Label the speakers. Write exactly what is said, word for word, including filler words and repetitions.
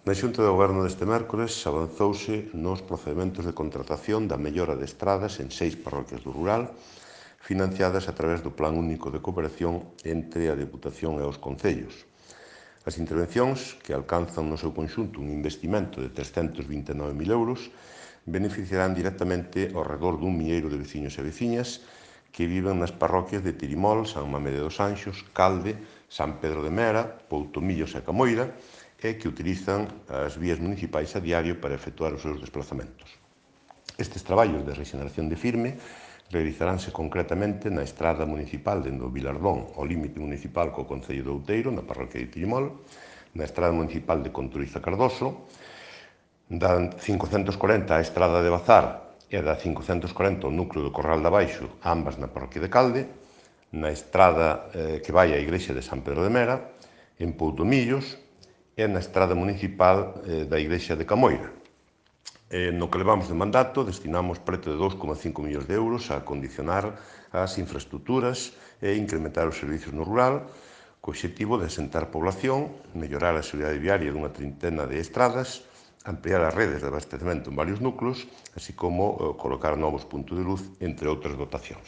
Speaker 1: Na Xunta de Goberno deste mércores avanzouse nos procedementos de contratación da mellora de estradas en seis parroquias do rural, financiadas a través do Plan Único de Cooperación entre a Deputación e os concellos. As intervencións, que alcanzan no seu conxunto un investimento de trescentos vinte e nove mil euros, beneficiarán directamente ao redor dun milleiro de veciños e veciñas que viven nas parroquias de Tirimol, San Mamede dos Anxos, Calde, San Pedro de Mera, Poutomillos e Camoira, e que utilizan as vías municipais a diario para efectuar os seus desplazamentos. Estes traballos de rexeneración de firme realizaránse concretamente na estrada municipal dende o Vilardón ao límite municipal co concello de Outeiro, na parroquia de Tirimol, na estrada municipal de Conturiza Cardoso, da cincocentos corenta á estrada de Bazar e da cincocentos corenta ao núcleo do Corral de Abaixo, ambas na parroquia de Calde, na estrada eh, que vai á igrexa de San Pedro de Mera, en Poutomillos e na estrada municipal eh, da igrexa de Camoira. Eh, no que levamos de mandato destinamos preto de dous coma cinco millóns de euros a acondicionar as infraestructuras e incrementar os servicios no rural, co obxectivo de asentar población, mellorar a seguridade viaria dunha trintena de estradas, ampliar as redes de abastecemento en varios núcleos, así como eh, colocar novos puntos de luz, entre outras dotacións.